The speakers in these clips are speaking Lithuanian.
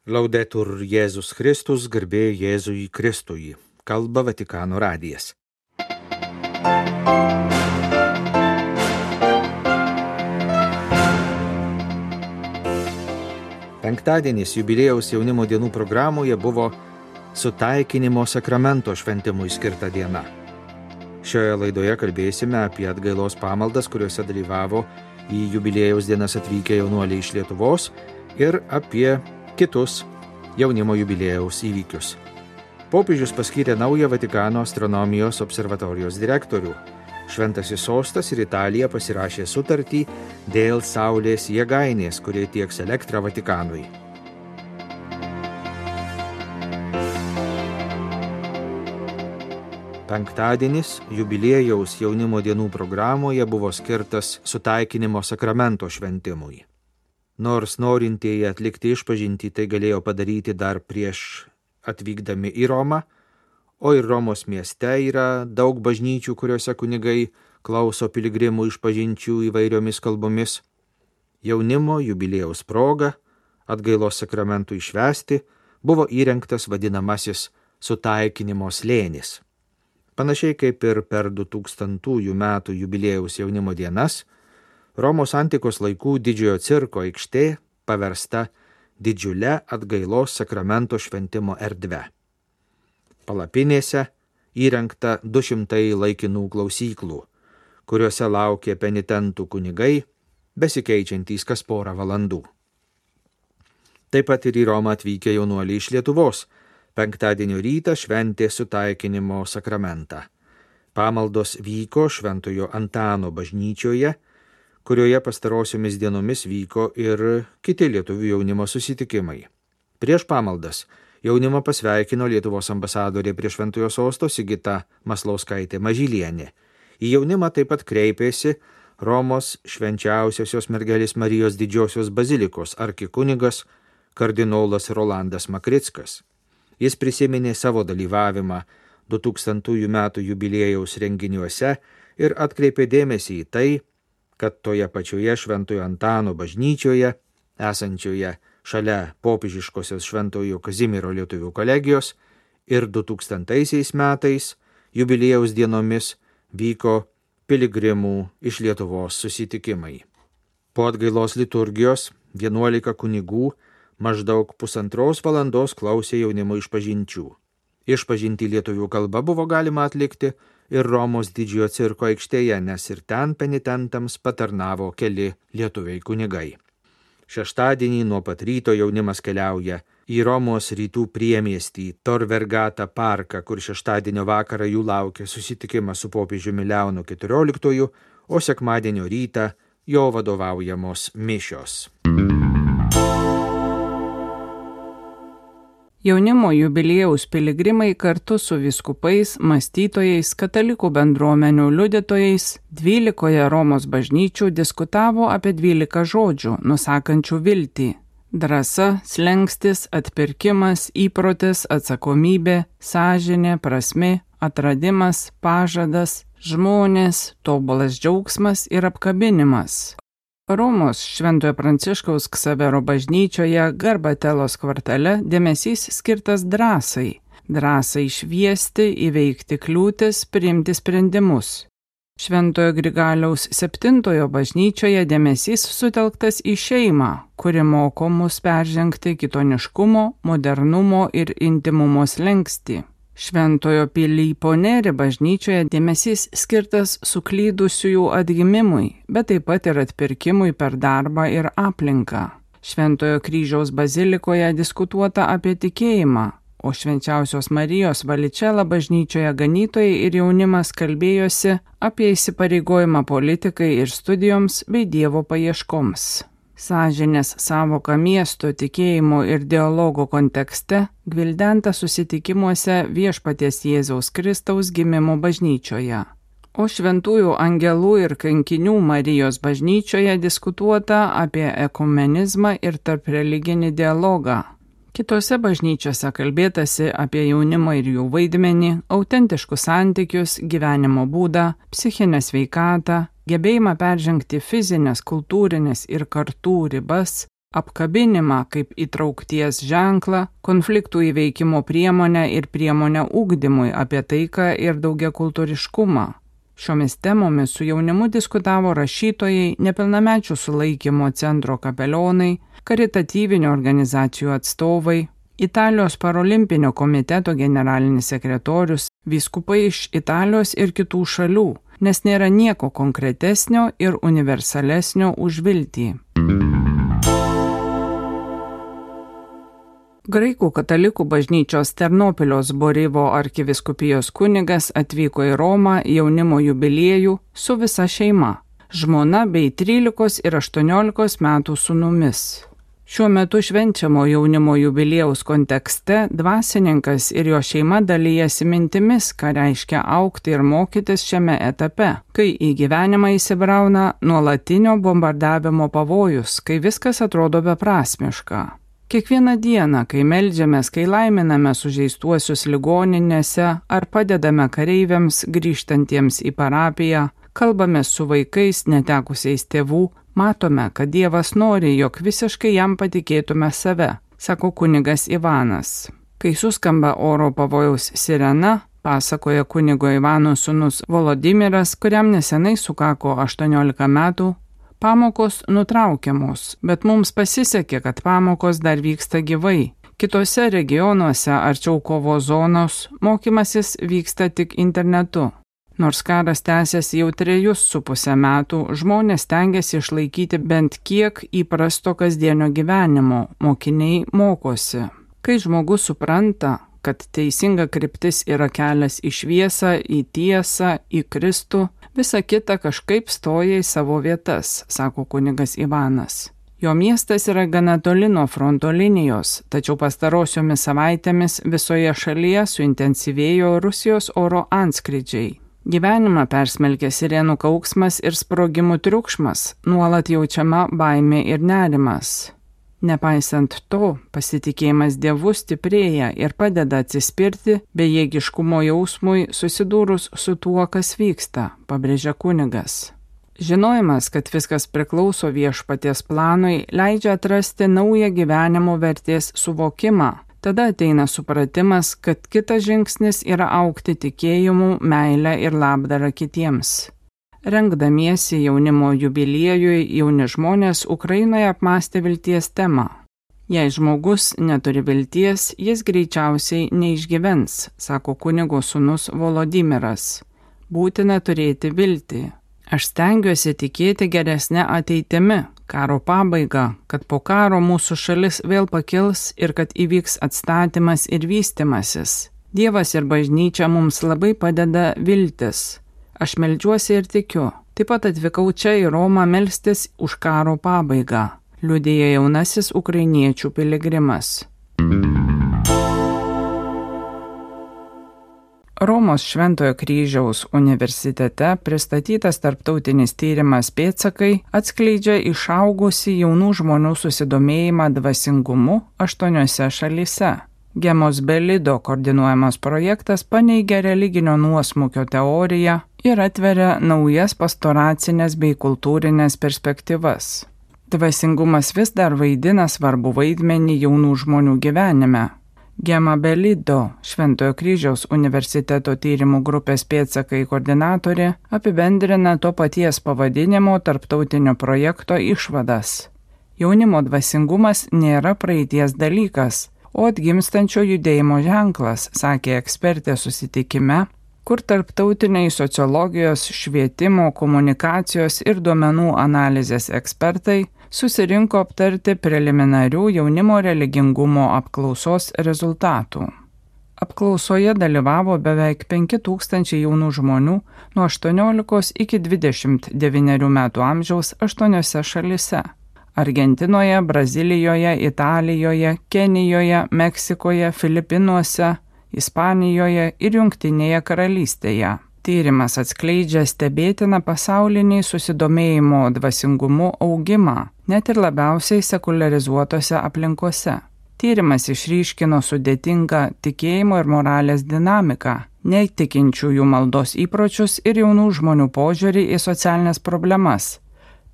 Laudetur Jėzus Kristus, garbė Jėzui Kristui. Kalba Vatikano radijas. Penktadienis jubiliejaus jaunimo dienų programoje buvo sutaikinimo sakramento šventimui skirta diena. Šioje laidoje kalbėsime apie atgailos pamaldas, kuriuose dalyvavo į jubiliejaus dienas atvykę jaunuoliai iš Lietuvos ir apie kitus jaunimo jubiliejaus įvykius. Popiežius paskyrė naują Vatikano astronomijos observatorijos direktorių. Šventasis sostas ir Italija pasirašė sutartį dėl Saulės jėgainės, kurie tieks elektrą Vatikanui. Penktadienis jubiliejaus jaunimo dienų programoje buvo skirtas sutaikinimo sakramento šventimui. Nors norintieji atlikti išpažintį tai galėjo padaryti dar prieš atvykdami į Romą, o ir Romos mieste yra daug bažnyčių, kuriuose kunigai klauso piligrimų išpažinčių įvairiomis kalbomis. Jaunimo jubiliejaus proga atgailos sakramentui švęsti buvo įrengtas vadinamasis sutaikinimo slėnis. Panašiai kaip ir per 2000 metų jubiliejaus jaunimo dienas, Romos antikos laikų didžiojo cirko aikštė paversta didžiulę atgailos sakramento šventimo erdve. Palapinėse įrengta 200 laikinų klausyklų, kuriuose laukė penitentų kunigai, besikeičiantys kas porą valandų. Taip pat ir į Romą atvykę jaunuoliai iš Lietuvos penktadienio rytą šventė sutaikinimo sakramentą. Pamaldos vyko Šventojo Antano bažnyčioje, kurioje pastarosiomis dienomis vyko ir kiti lietuvių jaunimo susitikimai. Prieš pamaldas jaunimą pasveikino Lietuvos ambasadorė prie Šventojo sosto Sigita Maslauskaitė Mažylienė. Į jaunimą taip pat kreipėsi Romos švenčiausiosios mergelės Marijos didžiosios bazilikos arkikunigas kardinolas Rolandas Makrickas. Jis prisiminė savo dalyvavimą 2000 metų jubiliejaus renginiuose ir atkreipė dėmesį į tai, kad toje pačioje Šventojo Antano bažnyčioje, esančioje šalia popiežiškosios Šventojo Kazimiero lietuvių kolegijos, ir 2000 metais jubiliejaus dienomis vyko piligrimų iš Lietuvos susitikimai. Po atgailos liturgijos 11 kunigų maždaug 1,5 valandos klausė jaunimo išpažinčių. Išpažintį lietuvių kalba buvo galima atlikti ir Romos didžiojo cirko aikštėje, nes ir ten penitentams patarnavo keli lietuviai kunigai. Šeštadienį nuo pat ryto jaunimas keliauja į Romos rytų priemiestį Tor Vergata parką, kur šeštadienio vakarą jų laukia susitikimas su popiežiumi Leonu XIV, o sekmadienio rytą jo vadovaujamos mišios. Jaunimo jubiliejaus piligrimai kartu su vyskupais, mąstytojais, katalikų bendruomenių liudytojais 12 Romos bažnyčių diskutavo apie 12 žodžių, nusakančių viltį. Drąsa, slenkstis, atpirkimas, įprotis, atsakomybė, sąžinė, prasmė, atradimas, pažadas, žmonės, tobulas džiaugsmas ir apkabinimas. Romos Šventojo Pranciškaus Ksavero bažnyčioje Garbatelos kvartale dėmesys skirtas drąsai. Drąsai šviesti, įveikti kliūtis, priimti sprendimus. Šventojo Grigaliaus 7 bažnyčioje dėmesys sutelktas į šeimą, kuri moko mus peržengti kitoniškumo, modernumo ir intimumo slenkstį. Šventojo Pilypo Neri bažnyčioje dėmesys skirtas suklydusiųjų atgimimui, bet taip pat ir atpirkimui per darbą ir aplinką. Šventojo Kryžiaus bazilikoje diskutuota apie tikėjimą, o Švenčiausios Marijos Valičela bažnyčioje ganytojai ir jaunimas kalbėjosi apie įsipareigojimą politikai ir studijoms bei Dievo paieškoms. Sąžinės sąvoka miesto tikėjimo ir dialogo kontekste gvildenta susitikimuose Viešpaties Jėzaus Kristaus gimimo bažnyčioje. O Šventųjų angelų ir kankinių Marijos bažnyčioje diskutuota apie ekumenizmą ir tarpreliginį dialogą. Kitose bažnyčiose kalbėtasi apie jaunimą ir jų vaidmenį, autentiškus santykius, gyvenimo būdą, psichinę sveikatą, gebėjimą peržengti fizinės, kultūrinės ir kartų ribas, apkabinimą kaip įtraukties ženklą, konfliktų įveikimo priemonę ir priemonę ugdymui apie taiką ir daugiakultūriškumą. Šiomis temomis su jaunimu diskutavo rašytojai, nepilnamečių sulaikymo centro kapelionai, karitatyvinių organizacijų atstovai, Italijos parolimpinio komiteto generalinis sekretorius, vyskupai iš Italijos ir kitų šalių, nes nėra nieko konkretesnio ir universalesnio už viltį. Graikų katalikų bažnyčios Ternopilio Zborivo arkivyskupijos kunigas atvyko į Romą jaunimo jubiliejų su visa šeima, žmona bei 13 ir 18 metų sūnumis. Šiuo metu švenčiamo jaunimo jubiliejaus kontekste dvasininkas ir jo šeima dalyjasi mintimis, ką reiškia augti ir mokytis šiame etape, kai į gyvenimą įsibrauna nuolatinio bombardavimo pavojus, kai viskas atrodo beprasmiška. Kiekvieną dieną, kai meldžiamės, kai laiminame sužeistuosius ligoninėse ar padedame kareiviams grįžtantiems į parapiją, kalbame su vaikais netekusiais tėvų, matome, kad Dievas nori, jog visiškai jam patikėtume save, sako kunigas Ivanas. Kai suskamba oro pavojaus sirena, pasakoja kunigo Ivano sūnus Volodimiras, kuriam nesenai sukako 18 metų, pamokos nutraukiamos, bet mums pasisekė, kad pamokos dar vyksta gyvai. Kitose regionuose arčiau kovos zonos mokymasis vyksta tik internetu. Nors karas tęsiasi jau 3,5 metų, žmonės stengiasi išlaikyti bent kiek įprasto kasdienio gyvenimo, mokiniai mokosi. Kai žmogus supranta, kad teisinga kryptis yra kelias į šviesą, į tiesą, į Kristų, visa kita kažkaip stoja į savo vietas, sako kunigas Ivanas. Jo miestas yra gana toli nuo fronto linijos, tačiau pastarosiomis savaitėmis visoje šalyje suintensyvėjo Rusijos oro antskrydžiai. Gyvenimą persmelkė sirenų kauksmas ir sprogimų triukšmas, nuolat jaučiama baimė ir nerimas. Nepaisant to, pasitikėjimas Dievu stiprėja ir padeda atsispirti bejėgiškumo jausmui susidūrus su tuo, kas vyksta, pabrėžia kunigas. Žinojimas, kad viskas priklauso Viešpaties planui, leidžia atrasti naują gyvenimo vertės suvokimą. Tada ateina supratimas, kad kitas žingsnis yra augti tikėjimu, meile ir labdara kitiems. Rengdamiesi jaunimo jubiliejui, jauni žmonės Ukrainoje apmąstė vilties temą. Jei žmogus neturi vilties, jis greičiausiai neišgyvens, sako kunigo sūnus Volodimiras. Būtina turėti viltį. Aš stengiuosi tikėti geresnę ateitimi, karo pabaigą, kad po karo mūsų šalis vėl pakils ir kad įvyks atstatymas ir vystimasis. Dievas ir bažnyčia mums labai padeda viltis. Aš meldžiuosi ir tikiu. Taip pat atvykau čia į Romą melstis už karo pabaigą, liudija jaunasis ukrainiečių piligrimas. Romos Šventojo kryžiaus universitete pristatytas tarptautinis tyrimas Pėdsakai atskleidžia išaugusį jaunų žmonių susidomėjimą dvasingumu 8 šalyse. Gemos Belido koordinuojamas projektas paneigia religinio nuosmukio teoriją ir atveria naujas pastoracinės bei kultūrinės perspektyvas. Dvasingumas vis dar vaidina svarbų vaidmenį jaunų žmonių gyvenime. Gema Belido, Šventojo kryžiaus universiteto tyrimų grupės Pėdsakai koordinatorė, apibendrina to paties pavadinimo tarptautinio projekto išvadas. Jaunimo dvasingumas nėra praeities dalykas, o atgimstančio judėjimo ženklas, sakė ekspertė susitikime, kur tarptautiniai sociologijos, švietimo, komunikacijos ir duomenų analizės ekspertai susirinko aptarti preliminarių jaunimo religingumo apklausos rezultatų. Apklausoje dalyvavo beveik 5000 jaunų žmonių nuo 18 iki 29 metų amžiaus 8 šalyse – Argentinoje, Brazilijoje, Italijoje, Kenijoje, Meksikoje, Filipinuose, Ispanijoje ir Jungtinėje karalystėje. Tyrimas atskleidžia stebėtiną pasaulinį susidomėjimo dvasingumu augimą, net ir labiausiai sekuliarizuotose aplinkose. Tyrimas išryškino sudėtingą tikėjimo ir moralės dinamiką, netikinčiųjų maldos įpročius ir jaunų žmonių požiūrį į socialinės problemas.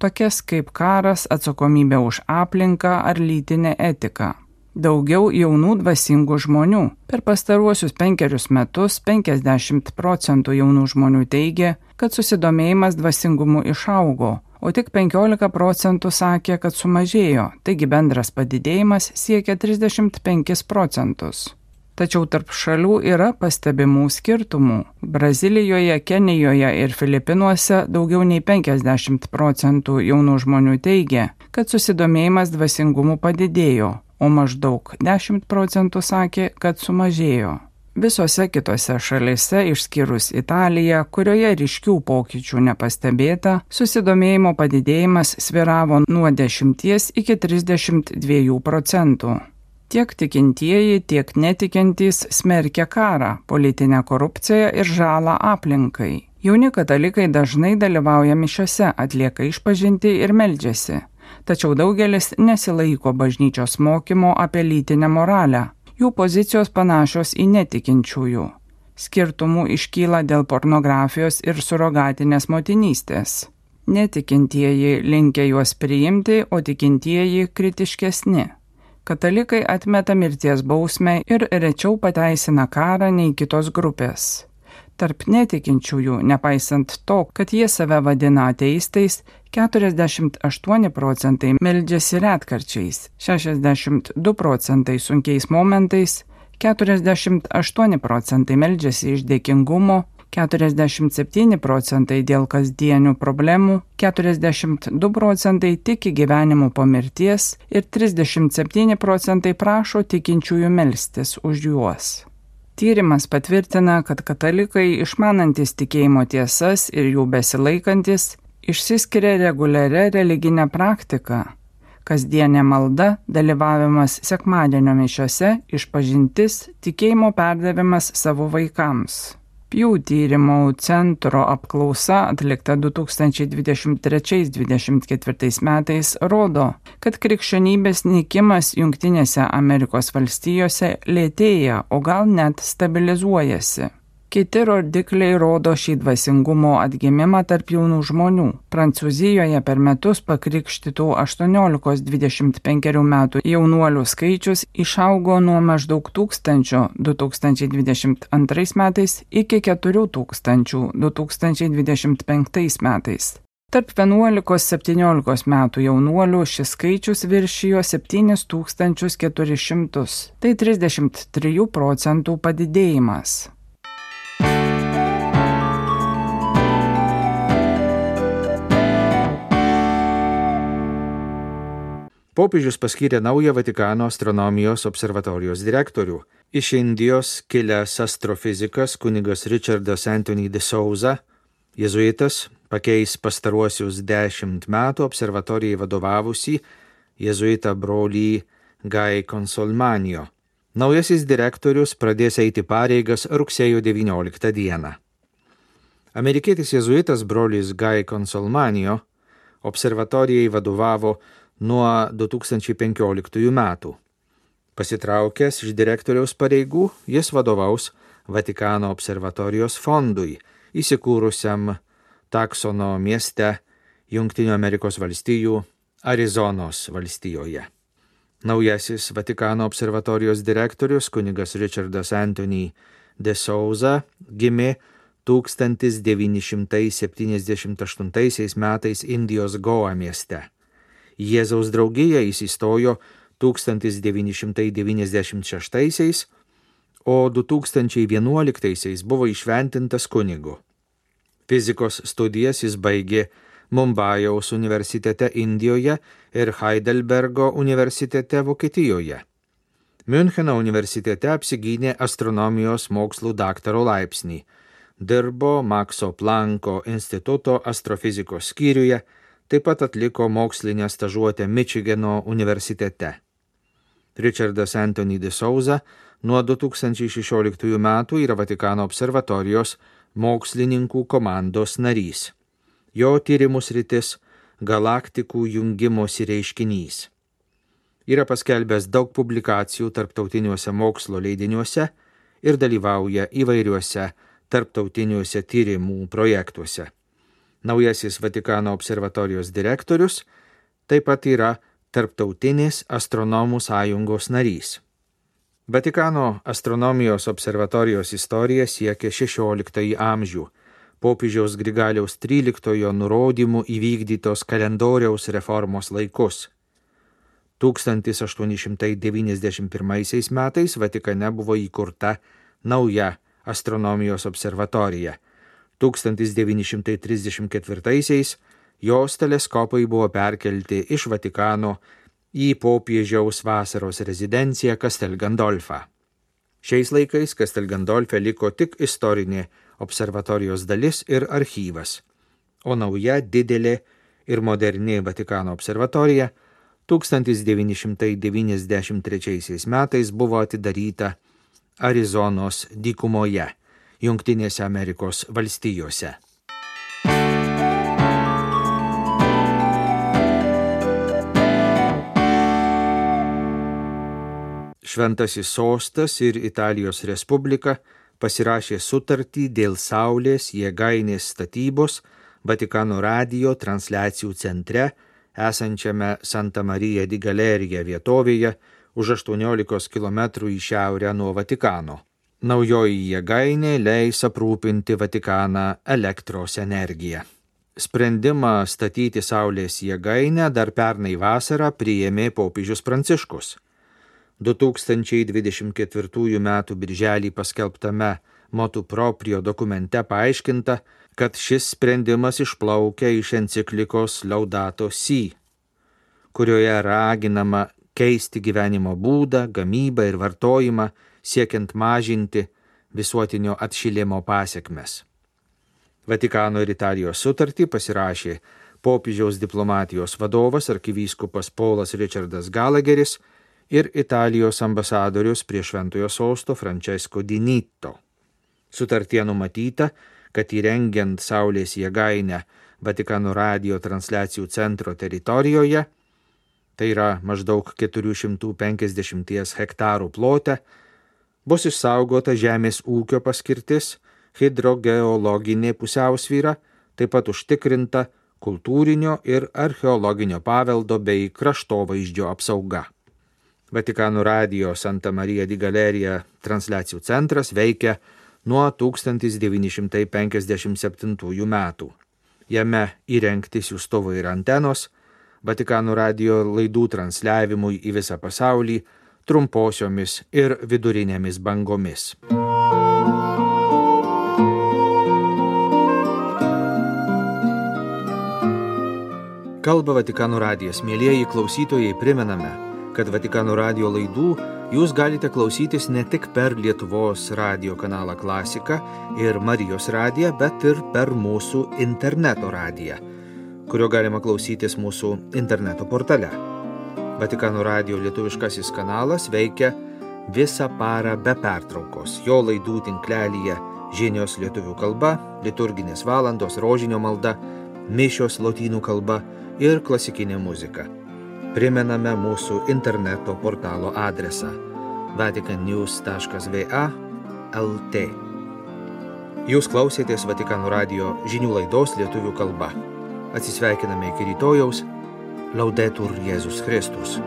tokias kaip karas, atsakomybė už aplinką ar lytinę etiką. Daugiau jaunų dvasingų žmonių. Per pastaruosius 5 metus 50% jaunų žmonių teigia, kad susidomėjimas dvasingumu išaugo, o tik 15% sakė, kad sumažėjo, taigi bendras padidėjimas siekia 35%. Tačiau tarp šalių yra pastebimų skirtumų. Brazilijoje, Kenijoje ir Filipinuose daugiau nei 50% jaunų žmonių teigia, kad susidomėjimas dvasingumu padidėjo, o maždaug 10% sakė, kad sumažėjo. Visose kitose šalyse, išskyrus Italiją, kurioje ryškių pokyčių nepastebėta, susidomėjimo padidėjimas svyravo nuo 10 iki 32%. Tiek tikintieji, tiek netikintys smerkia karą, politinę korupciją ir žalą aplinkai. Jauni katalikai dažnai dalyvauja mišiose, atlieka išpažintį ir meldžiasi. Tačiau daugelis nesilaiko bažnyčios mokymo apie lytinę moralę. Jų pozicijos panašios į netikinčiųjų. Skirtumų iškyla dėl pornografijos ir surogatinės motinystės. Netikintieji linkę juos priimti, o tikintieji kritiškesni. Katalikai atmeta mirties bausmę ir rečiau pateisina karą nei kitos grupės. Tarp netikinčiųjų, nepaisant to, kad jie save vadina ateistais, 48% meldžiasi retkarčiais, 62% sunkiais momentais, 48% meldžiasi iš dėkingumo, 47% dėl kasdienių problemų, 42% tiki gyvenimu po mirties ir 37% prašo tikinčiųjų melstis už juos. Tyrimas patvirtina, kad katalikai išmanantis tikėjimo tiesas ir jų besilaikantis išsiskiria reguliaria religinė praktika. Kasdienė malda, dalyvavimas sekmadienio mišiose, išpažintis, tikėjimo perdavimas savo vaikams. Pew tyrimų centro apklausa atlikta 2023-2024 metais rodo, kad krikščionybės nykimas Jungtinėse Amerikos valstijose lėtėja, o gal net stabilizuojasi. Kiti rodikliai rodo šį dvasingumo atgimimą tarp jaunų žmonių. Prancūzijoje per metus pakrikštytų 18-25 metų jaunuolių skaičius išaugo nuo maždaug 1000 2022 metais iki 4000 2025 metais. Tarp 11-17 metų jaunuolių šis skaičius viršijo 7400, tai 33% padidėjimas. Popiežius paskyrė naują Vatikano astronomijos observatorijos direktorių. Iš Indijos kilęs astrofizikas kunigas Richardas Anthony de Souza, jėzuitas, pakeis pastaruosius 10 metų observatorijai vadovavusį jėzuitą brolį Guy Consolmagno. Naujasis direktorius pradės eiti pareigas rugsėjo 19 dieną. Amerikietis jėzuitas brolis Guy Consolmagno observatorijai vadovavo nuo 2015 metų. Pasitraukęs iš direktoriaus pareigų, jis vadovaus Vatikano observatorijos fondui, įsikūrusiam Taksono mieste Jungtinių Amerikos valstijų Arizonos valstijoje. Naujasis Vatikano observatorijos direktorius kunigas Richardas Anthony de Souza gimė 1978 metais Indijos Goa mieste. Jėzaus draugija įsistojo 1996, o 2011 buvo įšventintas kunigu. Fizikos studijas jis baigė Mumbajaus universitete Indijoje ir Heidelbergo universitete Vokietijoje. Miuncheno universitete apsigynė astronomijos mokslų daktaro laipsnį. Dirbo Makso Plancko instituto astrofizikos skyriuje, taip pat atliko mokslinę stažuotę Mičigano universitete. Richardas Anthony de Souza nuo 2016 metų yra Vatikano observatorijos mokslininkų komandos narys. Jo tyrimų sritis – galaktikų jungimosi reiškinys. Yra paskelbęs daug publikacijų tarptautiniuose mokslo leidiniuose ir dalyvauja įvairiuose tarptautiniuose tyrimų projektuose. Naujasis Vatikano observatorijos direktorius taip pat yra Tarptautinės astronomų sąjungos narys. Vatikano astronomijos observatorijos istorija siekia 16 amžių, popiežiaus Grigaliaus XIII nurodymų įvykdytos kalendoriaus reformos laikus. 1891 metais Vatikane buvo įkurta nauja astronomijos observatorija. 1934 jos teleskopai buvo perkelti iš Vatikano į popiežiaus vasaros rezidenciją Castel Gandolfą. Šiais laikais Castel Gandolfe liko tik istorinė observatorijos dalis ir archyvas, o nauja didelė ir moderni Vatikano observatorija 1993 metais buvo atidaryta Arizonos dykumoje, Jungtinėse Amerikos valstijose. Šventasis sostas ir Italijos Respublika pasirašė sutartį dėl Saulės jėgainės statybos Vatikano radijo transliacijų centre esančiame Santa Maria di Galerija vietovėje už 18 km į šiaurę nuo Vatikano. Naujoji jėgainė leis aprūpinti Vatikaną elektros energiją. Sprendimą statyti Saulės jėgainę dar pernai vasarą priėmė popiežius Pranciškus. 2024 m. birželį paskelbtame Motu Proprio dokumente paaiškinta, kad šis sprendimas išplaukia iš enciklikos Laudato Si, kurioje raginama keisti gyvenimo būdą, gamybą ir vartojimą, siekiant mažinti visuotinio atšilimo pasekmes. Vatikano ir Italijos sutartį pasirašė popiežiaus diplomatijos vadovas arkivyskupas Paulas Richardas Gallagheris ir Italijos ambasadorius prie Šventojo sosto Francesco Di Nitto. Sutartyje numatyta, kad įrengiant Saulės jėgainę Vatikano radijo transliacijų centro teritorijoje, tai yra maždaug 450 hektarų plote, bus išsaugota žemės ūkio paskirtis, hidrogeologinė pusiausvyra, taip pat užtikrinta kultūrinio ir archeologinio paveldo bei kraštovaizdžio apsauga. Vatikano radijo Santa Maria di Galerija transliacijų centras veikia nuo 1957 metų. Jame įrengti siųstuvai ir antenos, Vatikano radijo laidų transliavimui į visą pasaulį, trumposiomis ir vidurinėmis bangomis. Kalba Vatikano radijas. Mielieji klausytojai, primename, kad Vatikano radijo laidų jūs galite klausytis ne tik per Lietuvos radijo kanalą Klasika ir Marijos radiją, bet ir per mūsų interneto radiją, kurio galima klausytis mūsų interneto portale. Vatikano radijo lietuviškasis kanalas veikia visą parą be pertraukos. Jo laidų tinklelyje žinios lietuvių kalba, liturginės valandos, rožinio malda, mišios lotynų kalba ir klasikinė muzika. Primename mūsų interneto portalo adresą vaticannews.va/lt. Jūs klausėtės Vatikano radijo žinių laidos lietuvių kalba. Atsisveikiname iki rytojaus. Laudetur Jėzus Kristus.